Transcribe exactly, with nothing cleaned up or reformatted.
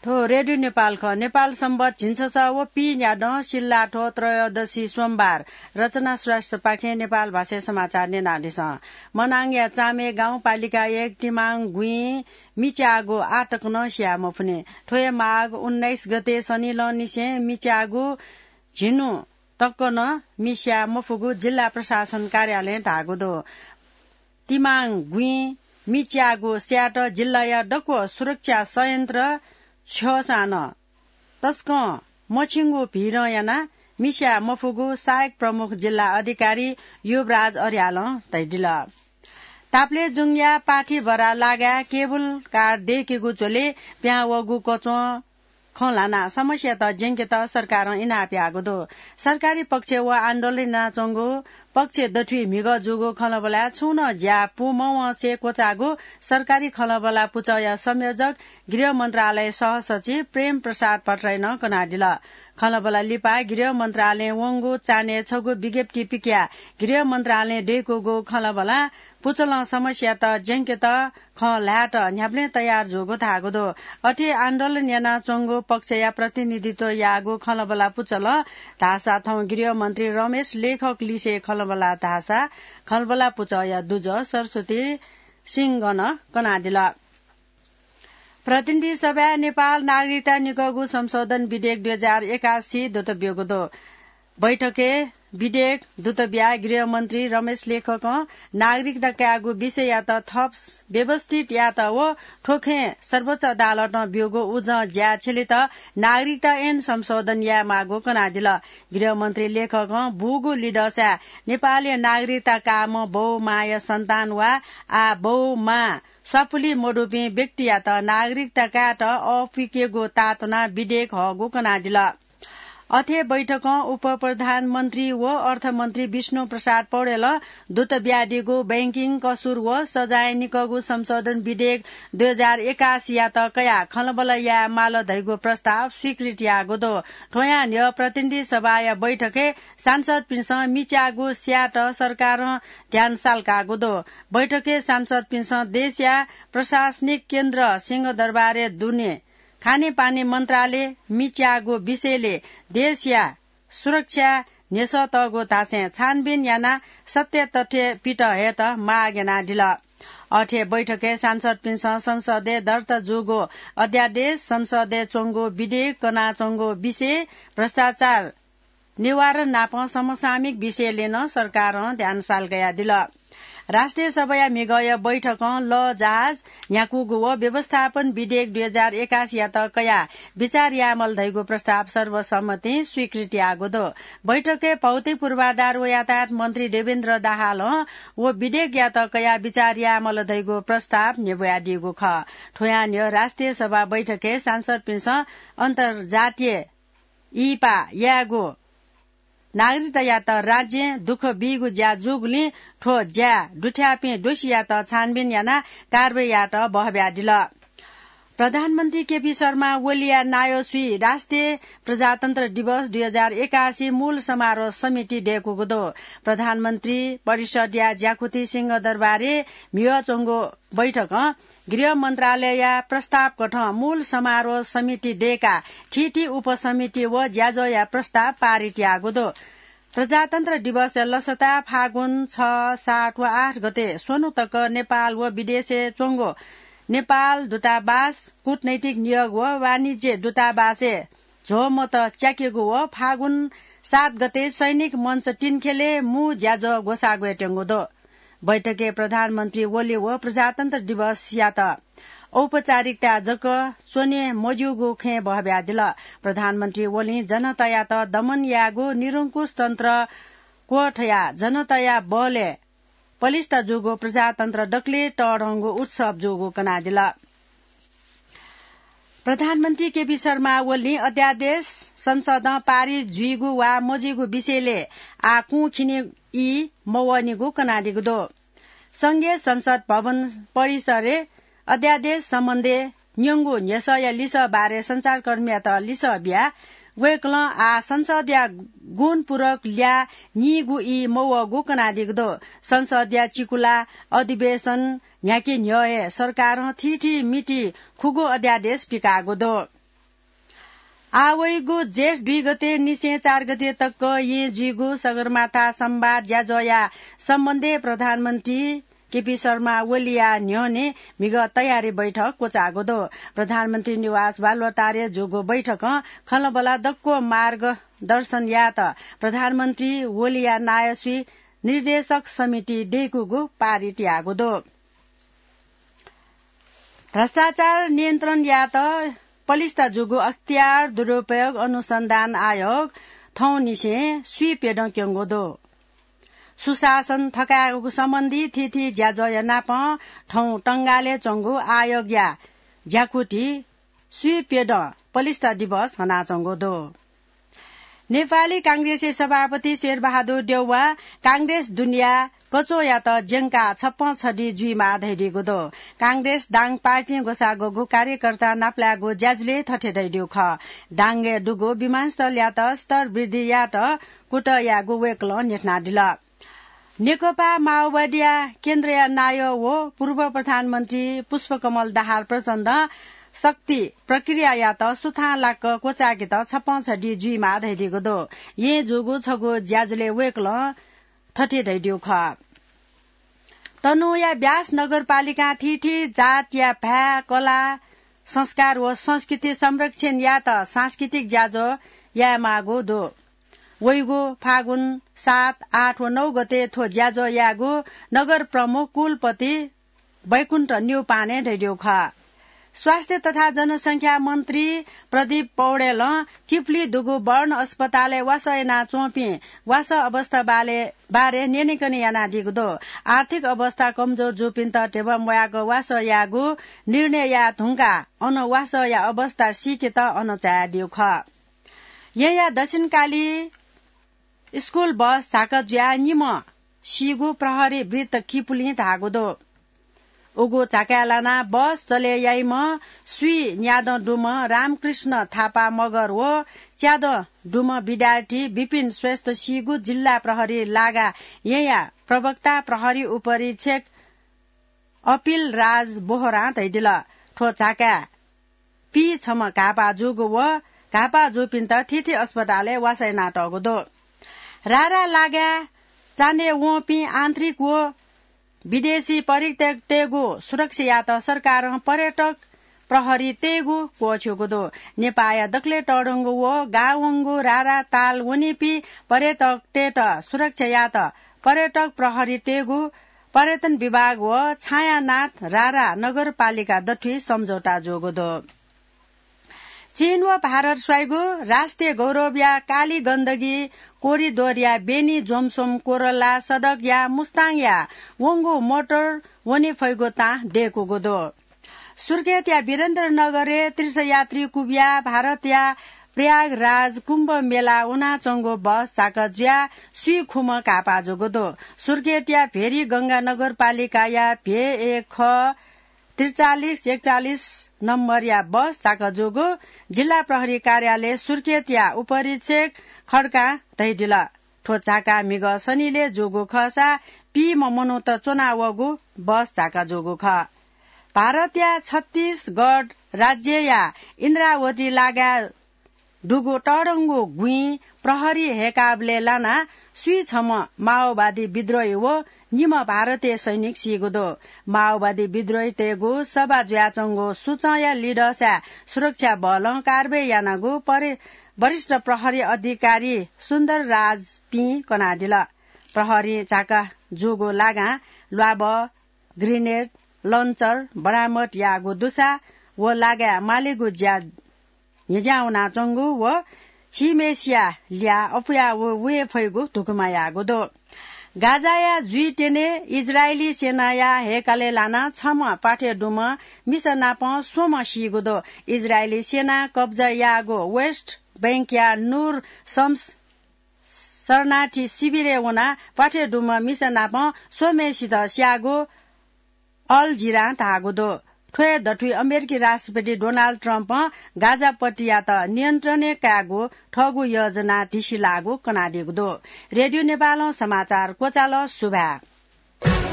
थ्व रेडियो नेपाल खः। नेपाल संवत झिंछसः व पीन्यादँ सिल्लाथ्व त्रयोदशी सोमबार। रचना श्रेष्ठपाखें नेपाल भाषाय् समाचार न्यनादिसँ। मनाङया चामे गाउँपालिका एक तिमाङ गुँइ मिच्याःगु आःतक नं सिया मफुनि। थ्व हे माघ उन्नाइस गते शनिलंनिसें मिच्याःगु झिन्हु तक नं मिस्या मफुगु जिल्ला प्रशासन कार्यालयं धाःगु दु। तिमाङ गुँइ मिच्याःगु स्यायेत जिल्लाया दक्व सुरक्षा संयन्त्र छ्यःसां नं तसकं मछिंगु भिडं यानाः मिस्या मफुगु सहायक प्रमुख जिल्ला अधिकारी युवराज अर्यालं धयादिल। ताप्लेजुङया पाथिभरा लागाय् केबुल कार दय्केगु झ्वलय् पिहां वःगु कच्वं खँ ल्हानाः समस्यात ज्यंकेत सरकारं इनाप याःगु दु। सरकारी पक्ष व आन्दोलन यानाच्वंगु पक्ष दथुइ म्हिगः जूगु खँल्हाबल्हाय् छुं नं ज्या पूमवंसे क्वचाःगु सरकारी खँल्हाबल्हा पुचःया संयोजक गृह मन्त्रालय सहसचिव प्रेम प्रसाद भट्टराईं कनादिल। खँल्हाबल्हा लिपा गृह मन्त्रालयं वंगु चान्हय् छगू विज्ञप्ति पिकयाः गृह मन्त्रालयं दय्कूगु खँल्हाबल्हा पुचलं समस्यात ज्यंकेत खँ ल्हायेत न्ह्याबलें तयार जूगु धाःगु दु। अथे आन्दोलन यानाच्वंगु पक्षया प्रतिनिधित्व याःगु खँल्हाबल्हा पुचलं धाःसा थौं गृह मन्त्री रमेश लेखक लिसे खँल्हाबल्हा धाःसा खँल्हाबल्हा पुचःया दुजः सरस्वती सिंहं कनादिल। प्रतिनिधि सभाय् नेपाल नागरिकता निकःगु संशोधन विधेयक दुई हजार एकासी दुत ब्यूगु दु। बैठकय् विधेयक दुत बियाः गृह मन्त्री रमेश लेखकं नागरिकता कायेगु विषययात थप व्यवस्थित यायेत व थ्व खँय् सर्वोच्च अदालतं ब्यूगु उजं ज्या छ्यलेत नागरिकता ऐन संशोधन यायेमाःगु कनादिल। गृह मन्त्री लेखकं बूगु लिदःसाय् नेपालय् नागरिकता काःम्ह बौ मांया सन्तान वा आः बौ मां स्वापुली मदुपिं व्यक्तियात नागरिकता कायेत अःपुइकेगु ताःतुनाः विधेयक हःगु कनादिल। अथे बैठकं उपप्रधानमन्त्री व अर्थमन्त्री विष्णु प्रसाद पौडेलं दुत बियादीगु बैंकिङ कसुर व सजाय निकःगु संशोधन विधेयक दुई हजार एकासीयात कयाः खँल्हाबल्हा याये माल धइगु प्रस्ताव स्वीकृत याःगु दु। थ्वयां न्ह्यः प्रतिनिधि सभाया बैठकय् सांसदपिन्सं मिच्याःगु स्यायेत सरकारं ध्यान साल्काःगु दु। बैठकय् सांसदपिन्सं देशया प्रशासनिक केन्द्र सिंहदरबारय् दुने खानेपानी मन्त्रालय मिच्याःगु विषयले देशया सुरक्षा न्ह्यसः तःगु धासें छानबिन यानाः सत्य तथ्य पित हयेत माग यानादिल। अथे बैठकय् सांसदपिन्सं संसदय् दर्ता जूगु अध्यादेश, संसदय् च्वंगु विधेयक, कनाच्वंगु विषय, भ्रष्टाचार निवारण नापं समसामयिक विषयले नं सरकारं ध्यान साल्कादिल। राष्ट्रिय सभाया म्हिगःया बैठकं लः जहाज न्ह्याकूगु व व्यवस्थापन विधेयक दुई हजार एकासीयात कयाः विचार यायेमाल धइगु प्रस्ताव सर्वसम्मतिं स्वीकृत याःगु दु। बैठकय् भौतिक पूर्वाधार व यातायात मन्त्री देवेन्द्र दाहालं व विधेयकयात कयाः विचार यायेमाल धइगु प्रस्ताव न्ह्यब्वयादीगु खः। थ्वयां न्ह्यः राष्ट्रिय सभा बैठकय् सांसदपिन्सं अन्तर्जातीय इहिपा यायेगु नागरिकतायात राज्यं दुःख बीगु ज्या जूगुलिं थ्व ज्याय् दुथ्याःपिं दोषीयात छानबिन यानाः कारवाही यायेत बहब्यादिल। प्रधानमन्त्री केपी शर्मा ओलीया नायःसुइ राष्ट्रिय प्रजातन्त्र दिवस दुई हजार एकासी मूल समारोह समिति दय्कूगु दु। प्रधानमन्त्री परिषदया ज्याकुथि सिंहदरबारय् म्हिगः च्वंगु बैठकं गृह मन्त्रालयया प्रस्ताव कथं मूल समारोह समिति दय्काः थीथी उपसमिति व ज्याझ्वःया प्रस्ताव पारित याःगु दु। प्रजातन्त्र दिवसया लसताय् फागुन छ, सात व आठ गते स्वन्हु तक नेपाल व विदेशय् च्वंगु नेपाल दूतावास, कूटनैतिक नियोग व वाणिज्य दूतावासय् झ्वःमत च्याकेगु व फागुन सात गते सैनिक मञ्च तिनखेलय् मू ज्याझ्वः ग्वसाः ग्वयेत्यंगु दु। बैठकय् प्रधानमन्त्री ओली व प्रजातन्त्र दिवसयात औपचारिकता जक च्वने मज्यूगु खँय् बहब्यादिल। प्रधानमन्त्री ओलीं जनतायात दमन यायेगु निरंकुश तन्त्र क्वथयाः जनताया बलय् पलिस्था जूगु प्रजातन्त्र दकलय् तःधंगु उत्सव जूगु कनादिल। प्रधानमन्त्री केपी शर्मा ओलीं अध्यादेश संसदं पारित जुइगु वा मजुइगु विषयले आः कुंखिने ई मवःनिगु कनादीगु दु। संघीय संसद भवन परिसरय् अध्यादेश सम्बन्धय् न्यंगु न्ह्यसःया लिसः बारे सञ्चारकर्मीयात लिसः बियाः वय्कलं आः संसदया गुणपूरक ल्याः नीगु ई मवःगु कनादीगु दु। संसदया चिकुला अधिवेशन न्ह्याके न्ह्यः हे सरकारं थीथी मिति खुगू अध्यादेश पिकाःगु दु। आवइगु जेठ दुई गते निसें चार गते तक येँ जुइगु सगरमाथा संवाद ज्याझ्वःया सम्बन्धय् प्रधानमन्त्री केपी शर्मा ओलीया न्ह्यःने म्हिगः तयारी बैठक क्वचाःगु दु। प्रधानमन्त्री निवास बालुवाटारय् जूगु बैठकं खँल्हाबल्हा दक्व मार्गदर्शन यायेत प्रधानमन्त्री ओलीया नायःसुइ निर्देशक समिति दय्कूगु पारित याःगु दु। भ्रष्टाचार नियन्त्रण यायेत पलिस्था जूगु अख्तियार दुरुपयोग अनुसन्धान आयोग थौंनिसें स्वीप्यदँ क्यंगु दु। सुशासन थकायेगु सम्बन्धी थीथी ज्याझ्वःया नापं थौं टंगालय् च्वंगु आयोगया ज्याकुथि स्वीप्यदँ पलिस्था दिवस हनाच्वंगु दु। नेपाली कांग्रेसया सभापति शेरबहादुर देउवां कांग्रेस दुनिया कच्वःयात ज्यंकाः छप्पँ छधी जुइमाः धयादीगु दु। कांग्रेस दाङ पार्टीं ग्वसाःगु कार्यकर्ता नापलायेगु ज्याझ्वलय् थथे धयादीगु खः। दाङय् दुगु विमानस्थलयात स्तर वृद्धि यायेत कुतः यायेगु वय्कलं न्ह्यथनादिल। नेकपा माओवादीया केन्द्रया नायः व पूर्व प्रधानमन्त्री पुष्पकमल दाहाल प्रचण्डं शक्ति प्रक्रियायात सुथांलाक क्वचायेकेत छप्पँ छधी जुइमाः धयादीगु दु। येँ जूगु छगू ज्याझ्वलय् वय्कलं थथे धयादीगु खः। तनहुँया ब्यास नगरपालिकां थीथी जातया भाय्, कला, संस्कार व संस्कृति संरक्षण यायेत सांस्कृतिक ज्याझ्वः यायेमाःगु दु। वइगु फागुन सात, आठ व नौ गते थ्व ज्याझ्वः यायेगु नगर प्रमुख कुलपति वैकुण्ठ न्यौपानें धयादीगु खः। स्वास्थ्य तथा जनसंख्या मन्त्री प्रदीप पौडेलं किपुली दुगु बर्न अस्पतालय् वासः यानाच्वंपिं वासः अवस्था बारे, बारे न्यनेकने यानादीगु दु। आर्थिक अवस्था कमजोर जूपिन्त ध्यबा म्वायेक वासः यायेगु निर्णय याये धुंकाः अन वासःया अवस्था सीकेत अन झायादीगु खः। येँया दक्षिणकाली स्कूल बस झाका जुयाः निम्ह सीगु प्रहरी वृत्त किपुलिं धाःगु दु। उगु झाकाय् लानाः बस चले याइम्ह स्वीन्यादँ दुम्ह रामकृष्ण थापा मगर व च्यादँ दुम्ह विद्यार्थी विपिन श्रेष्ठ सीगु जिल्ला प्रहरी लागा येँया प्रवक्ता प्रहरी उपरीक्षक अपिल राज बोहरां धयादिल। थ्व झाकाय् पीछम्ह घाःपाः जूगु व घाःपाः जूपिन्त थीथी अस्पतालय् वासः यानातःगु दु। रारा लागाय् चान्हय् वंपिं आन्तरिक व विदेशी पर्यटकतय्गु सुरक्षा यायेत सरकारं पर्यटक प्रहरी तयेगु क्वःछ्यूगु दु। नेपाःया दकलय् तःधंगु व गाः वंगु रारा ताल वनीपिं पर्यटकतय्त सुरक्षा यायेत पर्यटक प्रहरी तयेगु पर्यटन विभाग व छायानाथ रारा नगरपालिका दथुइ सम्झौता जूगु दु। चीन व भारत स्वाइगु राष्ट्रिय गौरवया काली गण्डकी कोरिडोरया बेनी जोमसोम कोरला सडकया मुस्ताङया वंगु मोटर वने फइगु तां दय्कूगु दु। सुर्खेतया वीरेन्द्रनगरय् तीर्थयात्री कुबिया भारतया प्रयागराज कुम्भ मेला वनाच्वंगु बस झाका जुयाः स्वीखुम्ह घाःपाः जूगु दु। सुर्खेतया भेरी गंगा नगरपालिकाया भे एक ख त्रिचालिस एकचालिस नम्बरया बस झाका जूगु जिल्ला प्रहरी कार्यालय सुर्खेतया उपरीक्षक खड्कां धयादिल। थ्व झाका म्हिगः शनिलय् जूगु खःसा पीम्ह मनूत च्वनावःगु बस झाका जूगु खः। भारतया छत्तीसगढ राज्यया इन्द्रावती लागाय् दुगु तःधंगु गुँइ प्रहरी हय्काबलय् लानाः स्वीछम्ह माओवादी विद्रोही व निम्ह भारतीय सैनिक सीगु दु। माओवादी विद्रोहीतय्गु सभा जुयाच्वंगु सुचंया लिधःसाय् सुरक्षा बलं कारवाही यानागु परि-, वरिष्ठ प्रहरी अधिकारी सुन्दर राज पीं कनादिल। प्रहरीं झाका जूगु लागां ल्वाबः, ग्रेनेड, लन्चर बरामद याःगु दुसा व लागाय् मालेगु ज्या न्ह्यज्यां वनाच्वंगु व सीम्हेसिया ल्याः अपुया व वये फइगु धुकुमा याःगु दु। गाजाया जुइत्यने इजरायली सेनाया हय्कालय् लानाः छम्ह प्वाथय् दुम्ह मिसा नाप स्वम्ह सीगु दु। इजरायली सेनां कब्जा याःगु वेस्ट बैंकया नुर शम्स शरणार्थी शिविरय् वनाः प्वाथय् दुम्ह मिसा नाप स्वम्हेसित स्याःगु अल जिरां धाःगु दु। थ्व हे दथुइ अमेरिकी राष्ट्रपति डोनाल्ड ट्रम्पं गाजापट्टियात नियन्त्रणय् कायेगु थःगु योजना धिसिलाःगु कनादीगु दु। रेडियो नेपालं समाचार क्वचाल। सुभाय्।